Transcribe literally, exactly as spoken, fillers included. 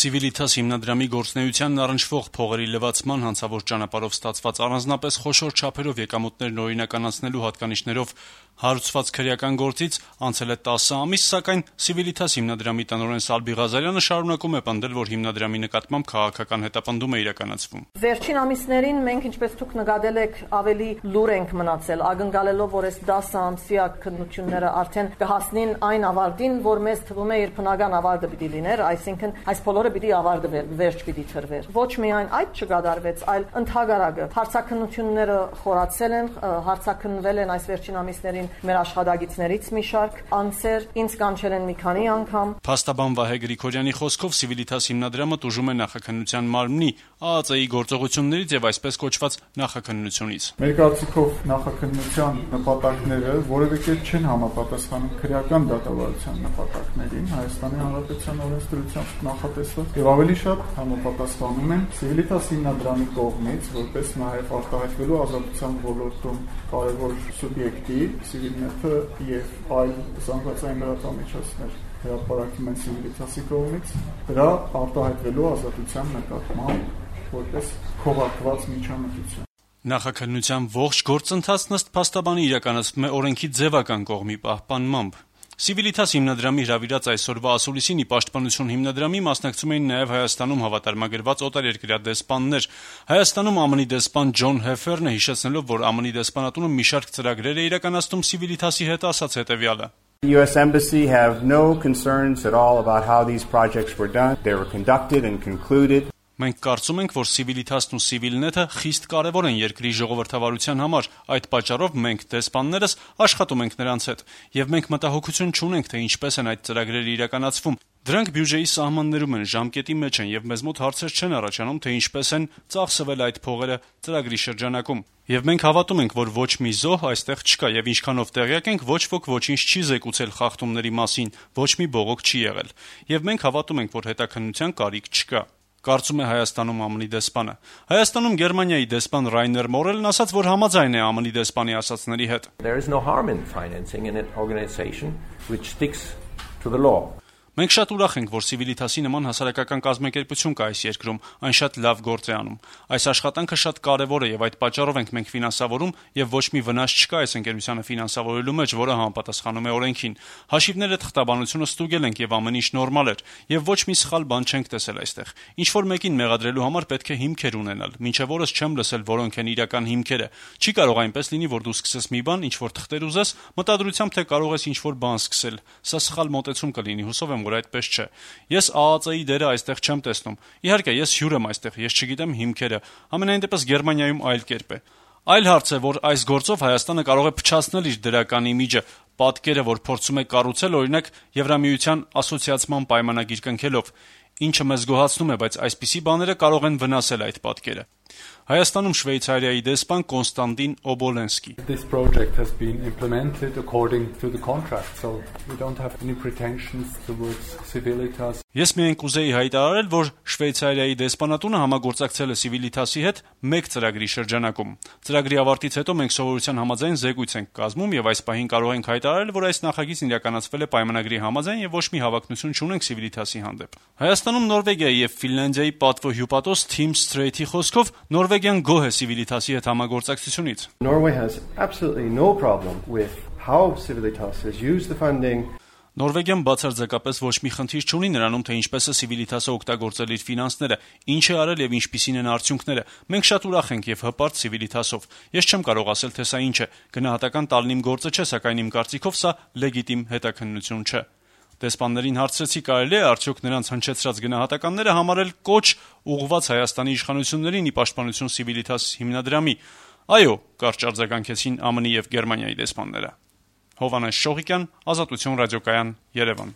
Civitas հիմնադրամի գործունեությանն առնչվող փողերի լվացման հանցավոր ճանապարհով ստացված առանձնապես խոշոր չափերով եկամուտներն օրինականացնելու հատկանիշներով հարուցված քրեական գործից անցել է տասը ամիս, սակայն Civitas հիմնադրամի տնօրեն Սալբի Ղազարյանը շարունակում է պնդել, որ հիմնադրամի նկատմամբ քաղաքական հետապնդում է իրականացվում։ Վերջին ամիսներին մենք, ինչպես դուք նկատել եք, ավելի լուր ենք մնացել, ակնկալելով, որ այս դասը ամսյա քննությունները արդեն կհասնին այն ավարտին, որ մեզ թվում է իր բնական ավարտը պիտի լիներ, այսինքն այս բոլորը պիտի ավարտը վերջ պիտի տրվեր։ Ոչ միայն այդ չկատարվեց, այլ ընդհանրակը հարցաքննությունները խորացել են, հարցաքննվել են այս վերջին ամիսներին մեր աշխատակիցներից մի շարք անձեր, ինձ կանչել են մի քանի անգամ։ Փաստաբան Վահե Գրիգորյանի խոսքով Civitas հիմնադրամը տուժում է նախաքննության մարմնի ԱԱԾ-ի գործողություններից եւ այսպես կոչված նախաքննությունից։ Մեր կարծիքով նախաքննության նպատակները որևէ կերպ չեն համապատասխանում քրեական դատավարության նպատակներին Հայաստանի Հանրապետության օրենսդրությամբ նախատեսված եւ ավելի շատ համապատասխանում են Civitas հիմնադրամի կողմից որպես նաեւ արտահայտվելու ազատության ոլորտում կարևոր սուբյեկտի Civilnet-ը եւ այլ զանգվածային լրատվամիջոցներ հրապարակվում են Civitas-ի կողմից դրա արտահայտվելու ազատության նկատմամբ որպես քողարկված միջամտություն։ Նախաքննության ողջ գործընթացն ըստ փաստաբանի իրականացվում է օրենքի ձևական կողմի պահպանմամբ։ Civitas հիմնադրամի հրավիրած այսօրվա ասուլիսին ի պաշտպանություն հիմնադրամի մասնակցում էին նաև Հայաստանում հավատարմագրված օտարերկրյա դեսպաններ։ Հայաստանում ԱՄՆ-ի դեսպան Ջոն Հեֆերնը հիշեցնելով, որ ԱՄՆ-ի դեսպանատունը մի շարք ծրագրեր է իրականացնում Civitas-ի հետ, ասաց հետևյալը. The U S Embassy have no concerns at all about how these projects were done. They were conducted and concluded. Մենք կարծում ենք, որ Civitas-ն ու Civilnet-ը խիստ կարևոր են երկրի ժողովրդավարության համար, այդ պատճառով մենք դեսպաններս աշխատում ենք նրանց հետ, եւ մենք մտահոգություն չունենք, թե ինչպես են այդ ծրագրերը իրականացվում։ Դրանք բյուջեի սահմաններում են, ժամկետի մեջ են, եւ մեզ մոտ հարցեր չեն առաջանում, թե ինչպես են ծախսվել այդ փողերը ծրագրի շրջանակում։ Եվ մենք հավատում ենք, որ ոչ մի զոհ այստեղ չկա, եւ ինչքանով տեղյակ ենք, ոչ ոք ոչինչ չի զեկուցել խախտումների մասին, ոչ մի բողոք չի եղել։ Եվ մենք հավատում ենք, որ հետաքննության կարիք չկա։ Կարծում է Հայաստանում ԱՄՆ-ի դեսպանը։ Հայաստանում Գերմանիայի դեսպան Ռայներ Մորելն ասաց, որ համաձայն է ԱՄՆ-ի դեսպանի ասածների հետ։ There is no harm in financing an organization which sticks to the law. Մենք շատ ուրախ ենք, որ Civitas-ի նման հասարակական կազմակերպություն կա այս երկրում, այն շատ լավ գործ է անում։ Այս աշխատանքը շատ կարևոր է եւ այդ պատճառով ենք մենք ֆինանսավորում եւ ոչ մի վնաս չկա այս ընկերությանը ֆինանսավորելու մեջ, որը համապատասխանում է օրենքին։ Հաշիվները թղթաբանությունը ստուգել ենք եւ ամեն ինչ նորմալ էր եւ ոչ մի սխալ բան չենք տեսել այստեղ։ Ինչ որ մեկին մեղադրելու համար պետք է հիմքեր ունենալ։ Մինչեւ օրս չեմ լսել որոնք են իրական հիմքերը։ Չի կարող այնպես լինի, որ դու սկսես մի բան, ինչ որ թղթեր ուզես, մտադրությամբ թե կարող ես ինչ որ բան սկսել։ Սա սխալ մոտեցում կլինի, հուսով եմ, որ այդպես չէ։ Ես ԱԱԾ-ի դերը այստեղ չեմ տեսնում։ Իհարկե, ես հյուր եմ այստեղ, ես չգիտեմ հիմքերը։ Ամենայն դեպս Գերմանիայում այլ կերպ է։ Այլ հարց է, որ այս գործով Հայաստանը կարող է փչացնել իր դրական իմիջը, պատկերը, որ փորձում է կառուցել, օրինակ Եվրամիության ասոցիացման պայմանագիր կնքելով, ինչը մեզ գոհացնում է, բայց այսպիսի բաները կարող են վնասել այդ պատկերը։ Հայաստանում Շվեյցարիայի դեսպան Կոնստանտին Օբոլենսկի. This project has been implemented according to the contract, so we don't have any pretensions towards Civitas. Ես միայն կուզեի հայտարարել, որ Շվեյցարիայի դեսպանատունը համագործակցել է Civitas-ի հետ մեկ ծրագրի շրջանակում։ Ծրագրի ավարտից հետո մենք սովորության համաձայն զեկույց ենք կազմում եւ այս պահին կարող ենք հայտարարել, որ այս նախագիծն իրականացվել է պայմանագրի համաձայն եւ ոչ մի հավակնություն չունենք Civitas-ի հանդեպ։ Հայաստանում Նորվեգիայի եւ Ֆինլանդիայի պատվո հյուպատոս Թիմ Սթրեյթի խոսքով Նորվեգիան գոհ է Civitas-ի հետ համագործակցությունից։ Norway has absolutely no problem with how Civitas has used the funding. Նորվեգիան բացարձակապես ոչ մի խնդիր չունի նրանում, թե ինչպես է Civitas-ը օգտագործել իր ֆինանսները, ինչ է արել եւ ինչպիսին են արդյունքները։ Մենք շատ ուրախ ենք եւ հպարտ Civitas-ով։ Ես չեմ կարող ասել, թե սա ինչ է, գնահատական տալն իմ գործը չէ, սակայն իմ կարծիքով սա լեգիտիմ հետաքննություն չէ։ Դեսպաններին հարցրեցի, կարելի է արդյոք նրանց հնչեցրած գնահատականները համարել կոչ ուղղված Հայաստանի իշխանություններին ի պաշտպանություն Civitas հիմնադրամի։ Այո, կարճ արձագանքեցին ԱՄՆ-ի եւ Գերմանիայի դեսպանները։ Հովհաննես Շողիկյան, Ազատություն ռադիոկայան, Երևան։